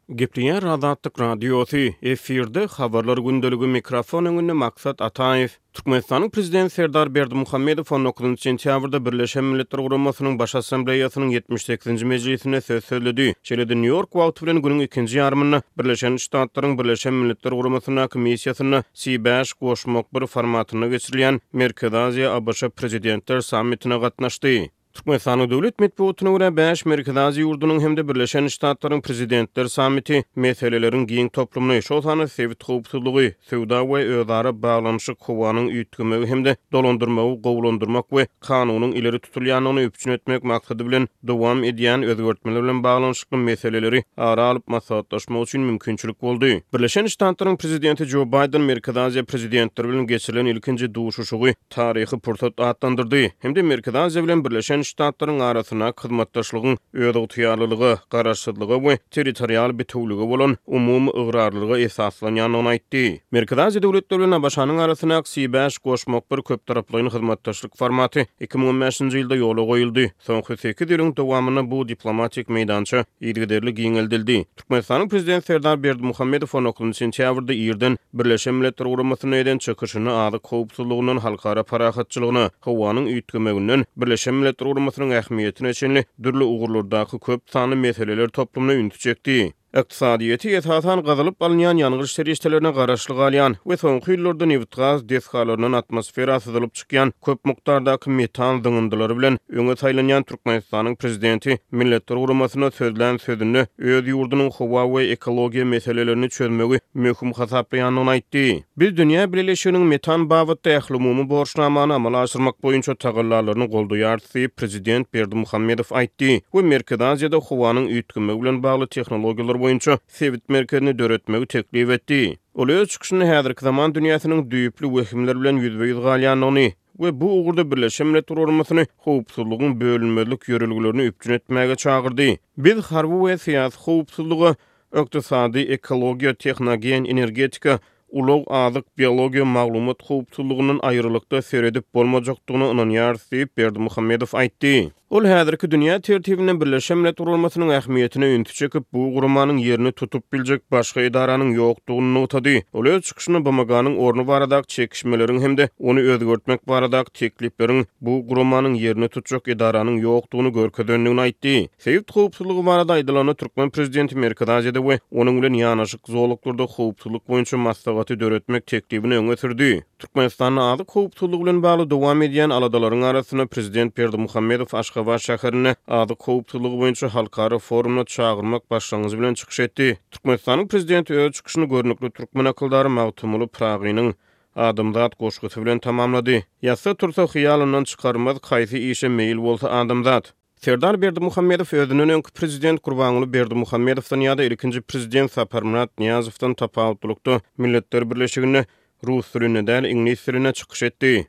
Gepleýär Azatlyk Radiosy, efirde Habarlar gündeligi, mikrofon öňünde Maksat Ataýew. Türkmenistanyň Prezidenti Serdar Berdimuhamedow on dokuzynjy sentýabrda Birleşen Milletler Guramasynyň Baş Assambleýasynyň 78-nji mejlisinde söz sözledi. Şeýle-de Nýu-Ýork wagty bilen günüň ikinji ýarymynda Birleşen Ştatlaryň Birleşen Milletler Guramasyndaky missiýasynda C bäş goşmak bir formatynda geçirilýän Merkezi Aziýa-ABŞ Prezidentler sammitine gatnaşdy. Türkmenistanyň döwlet metbugatyna görä, bäş Merkezi Aziýa ýurdunyň hem-de Birleşen Ştatlaryň Prezidentler sammiti meseleleriň giň toplumyny, şol sanda sebit howpsuzlygy, söwda we özara baglanyşyk, howanyň üýtgemegi hem-de dolandyrmagy gowulandyrmak we kanunyň ileri tutulýandygyny üpjün etmek maksady bilen dowam edýän özgertmeler bilen baglanyşykly meseleleri ara alyp maslahatlaşmak üçin mümkinçilik boldy. Birleşen Ştatlaryň Prezidenti Jo Baýden Merkezi Aziýa Prezidentleri bilen geçirilen ilkinji duşuşygy taryhy pursat atlandyrdy hem-de Merkezi Aziýa bilen Birleşen Ştatlaryň arasyndaky hyzmatdaşlygyň özygtyýarlylyga, garaşsyzlyga we territorial bitewülige bolan umumy ygrarlylyga esaslanýandygyny aýtdy. Merkezi Aziýa döwletleri bilen ABŞ-nyň arasyndaky C bäş goşmak bir köptaraplaýyn hyzmatdaşlyk formaty 2015-nji ýylda ýola goýuldy. Soňky sekiz ýylyň dowamynda bu diplomatik meýdança yzygiderli giňeldildi. Türkmenistanyň Prezidenti Serdar Berdimuhamedow on dokuzynjy sentýabrda irden Birleşen Milletler Guramasynda eden çykyşynda azyk howpsuzlygyndan halkara parahatçylygyna, howanyň üýtgemeginden Birleşen Milletler Guramasynyň ähmiýetine çenli dürli ugurlardaky köp sanly meseleler toplumyna ünsi çekdi. Ykdysadyýeti esasan gazylyp alynýan ýangyç serişdelerine garaşly galýan we soňky ýyllarda nebitgaz desgalaryndan atmosfera syzylyp çykýan köp mukdardaky metan zyňyndylary bilen öňe saýlanýan Türkmenistanyň Prezidenti Milletler Guramasynda sözlän sözünde öz ýurdunyň howa we ekologiýa meselelerini çözmegi möhüm hasaplaýandygyny aýtdy. Biz dünýä bileleşiginiň metan babatda ählumumy borçnamany amala aşyrmak boýunça tagallalaryny goldaýarys diýip, prezident Berdimuhamedow aýtdy we Merkezi Aziýada howanyň üýtgemegi bilen bagly tehnologiýalar boýunça sebit merkezini döretmegi teklip etdi. Ol öz çykyşynda häzirki zaman dünýäsiniň düýpli wehimler bilen ýüzbe-ýüz galýandygyny we bu ugurda Birleşen Milletler Guramasyny howpsuzlygyň bölünmezlik ýörelgelerini üpjün etmäge çagyrdy. Biz harby we syýasy howpsuzlyga, ykdysady, ekologiýa, tehnogen, energetika, ulag, azyk, biologiýa, maglumat howpsuzlygyndan aýrylykda seredip bolmajakdygyna ynanýarys diýip, Berdimuhamedow aýtdy. Ol häzirki dünýä tertibinde Birleşen Milletler Guramasynyň ähmiýetine ünsi çekip, bu guramanyň ýerini tutup biljek başga edaranyň ýokdugyny nygtady. Ol öz çykyşynda BMG-niň orny baradaky çekişmeleriň hem-de ony özgertmek baradaky teklipleriň bu guramanyň ýerini tutjak edaranyň ýokdugyny görkezendigini aýtdy. Sebit howpsuzlygy barada aýdylanda, türkmen prezidenti Merkezi Aziýada we onuň bilen ýanaşyk zolaklarda howpsuzlyk boýunça maslahaty döretmek teklibini öňe sürdi. Türkmenistanda azyk howpsuzlygy bilen bagly dowam edýän aladalaryň arasynda prezident Berdimuhamedow Aşgabat şäherinde azyk howpsuzlygy boýunça halkara forumyna çagyrmak başlangyjy bilen çykyş etdi. Türkmenistanyň prezidenti öz çykyşyny görnükli türkmen akyldary Magtymguly Pyragynyň Adamzat goşgusy bilen tamamlady. Ýatsa-tursa hyýalyndan çykarmaz, kaýsy işe meýil bolsa adamzat. Serdar Berdimuhamedow özünden öňki prezident Gurbanguly Berdimuhamedowdan ýa-da ilkinji prezident Saparmyrat Nyýazowdan tapawutlylykda Milletler Birleşiginde rus dilinde däl, iňlis dilinde çykyş etdi.